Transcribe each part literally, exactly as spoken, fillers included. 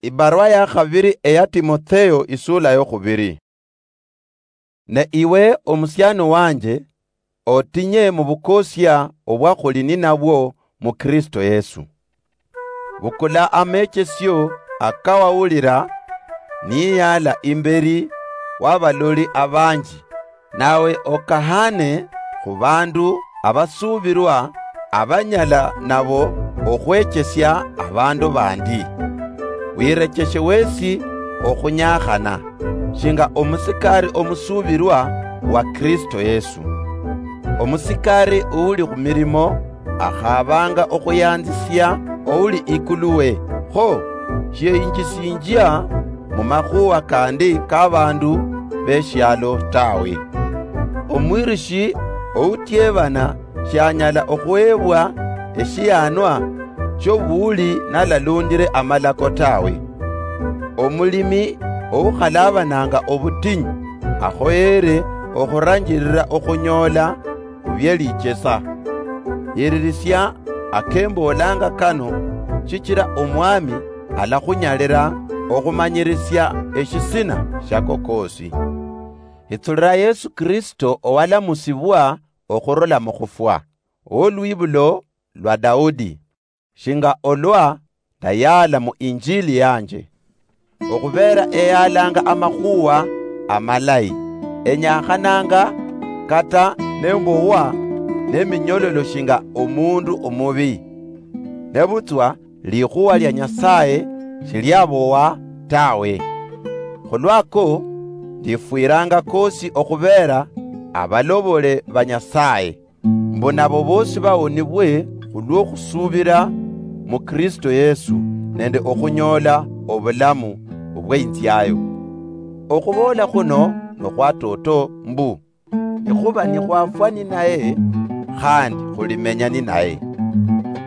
Ibarwa ya khabiri eya Timotheo, isula yokhubiri. Ne iwe, omusiani wanje, otinye mu bukosia obwa khuli ninabwo mu Kristo Yesu. Bukula amechesio akawawulira niyala imberi wa baloli abanji, nawe okahane khu bandu abasuubirwa abanyala nabo okhwechesia abandu bandi. Wirecheshe wesi okhunyakhana, shinga omusikari omusuubirwa wa Kristo Yesu. Omusikari uli khu mirimo akhabanga okhuyanzisia ouli ikulu we, kho shiyinjisinjia mu makhuwa kandi ka bandu beshialo tawe. Omwirishi outiebana shianyala okhuhebwa eshianwa shiobuuli nalalundire amalako tawe. Omulimi oukhalabananga obutinyu akhoyere okhuranjirira okhunyola khubyelichesa. Yiririsia akemboolanga kano, shichira Omwami alakhunyalira okhumanyirisia eshisina shiako koosi. Hitsulira Yesu Kristo owalamusibwa okhurula mukhufwa, owolwibulo lwa Daudi, shinga olwa ndayaala mu Injili yanje. Okhubeera eyaalanga amakhuwa amalayi, enyakhananga kata nembowa neminyololo shinga omundu omubi. Nebutswa likhuwa lia Nyasaye shiliabowa tawe. Khulwako, ndifwiranga kosi okhubeera abalobole ba Nyasaye, mbu nabo bosi bawonibwe khulwo khusubira mu Kristo Yesu nende okhunyola obulamu obweinziayo. Okhuboola khuno nokhwatoto mbu, nikhuba nikhwafwa ninaye, khandi khulimenya ninaye.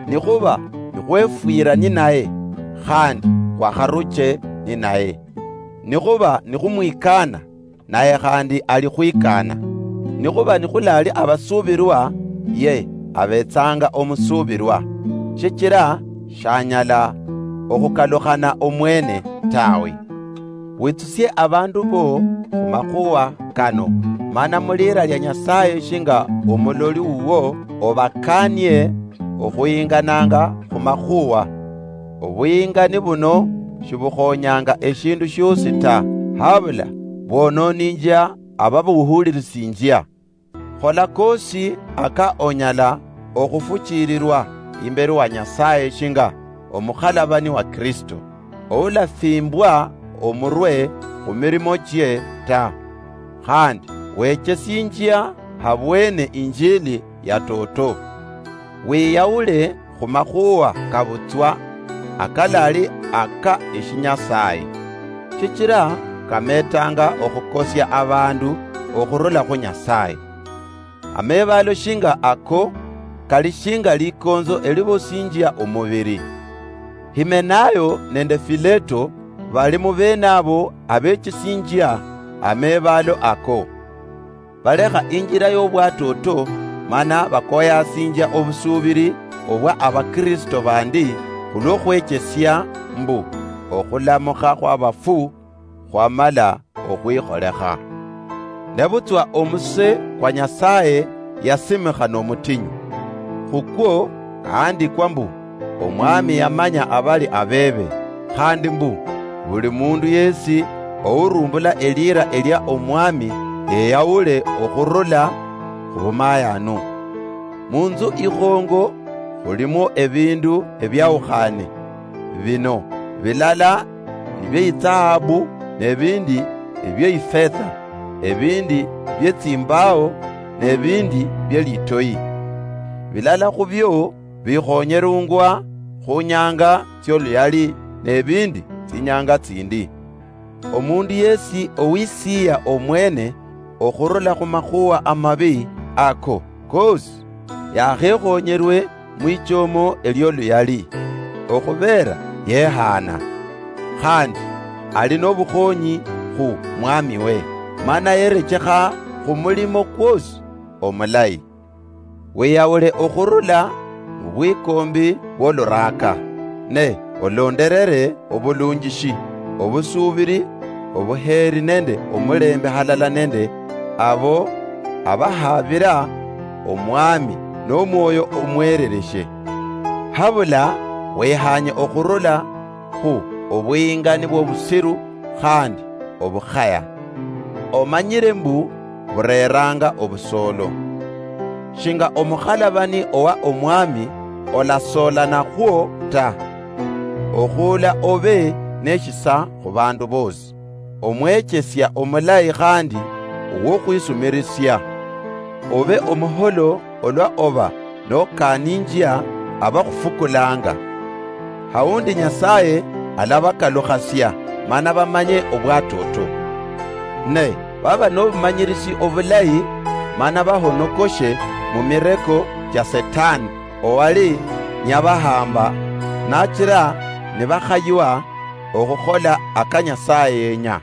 Nikhuba nikhwefwira ninaye, khandi khwakharuche ninaye. Nikhuba nikhumwikana, naye khandi alikhwikana. Nikhuba nikhulali abasuubirwa, ye abetsanga omusuubirwa, shichira shanyala okhukalukhana omwene tawe. Witsusie abandu bo khumakhuwa kano, mana mulira lia Nyasaye shinga omuloli wuwo obakanie okhuyingananga khumakhuwa. Obuyingani buno shibukhonyanga eshindu shiosi ta, habula bwononinjia ababuhulirisinjia. Khola kosi aka onyala okhufuchiililwa imbeli wa Nyasaye shinga omukhalabani wa Kristo, oulafimbwa omurwe khumirimo chie ta, khandi wechesinjia habwene Injili ya toto. Wiyaule khumakhuwa kabutswa akalali aka eshinyasaye, shichira kametanga okhukosia abandu okhurula khu Nyasaye. Amebaalo shinga ako kali shinga likonzo elibosinjia omubiri. Himenayo nende Fileto bali mubenabo abechesinjia amebaalo ako. Balekha injila yobwatoto, mana bakoyasinjia obusuubiri obwa Abakristo bandi khulwo khwechesia mbu okhulamukha khwabafu khwamala okhwikholekha. Nebutswa omuse kwa Nyasaye yasimikha nomutinyu. Khukwo kaandikwa mbu, Omwami yamanya abali abebe, khandi mbu, buli mundu yesi ourumbula elira elia Omwami yeyaule okhurula khubumayanu. Munzu ikhongo khulimwo ebindu ebiaukhane, bino, bilala nibietsahabu, nebindi nibiefetha, ebindi bietsimbao, nebindi bielitoyi. Bilala khubio bikhonyerungwa khunyanga tsioluyali, nebindi tsinyanga tsindi. Omundu yesi owisiya omwene okhurula khumakhuwa amabi ako kosi, yakhekhonyerwe mwichomo elioluyali, okhubera yehaana, khandi ali nobukhonyi khu mwamiwe, mana yerechekha khumulimo kwosi omulayi. Wiyaule okhurula mubwikombi bwoluraka, ne olonderere obulunjishi, obusuubiri, obuheeri nende omulembe halala nende abo abahaabira Omwami n'omwoyo omwerereshe. Habula wehanye okhurula khu obuyingani bw'obusiru khandi obukhaya. Omanyire mbu bureranga obusoolo. Shinga omukhalabani owa Omwami, olasoolanakhwo ta. Okhuula obe neshisa khu bandu bosi, omwechesia omulayi khandi owokhwisumirisia. Obe omuholo olwa oba nokaninjia abakhufukulanga. Haundi Nyasaye alabakalukhasia mana bamanye obwatoto. Ne baba nobumanyirisi obulayi mana bahonokoshe mu mireko chia Setani owali nyabahamba, nachira nibakhaywa okhukhola aka Nyasaye yenya.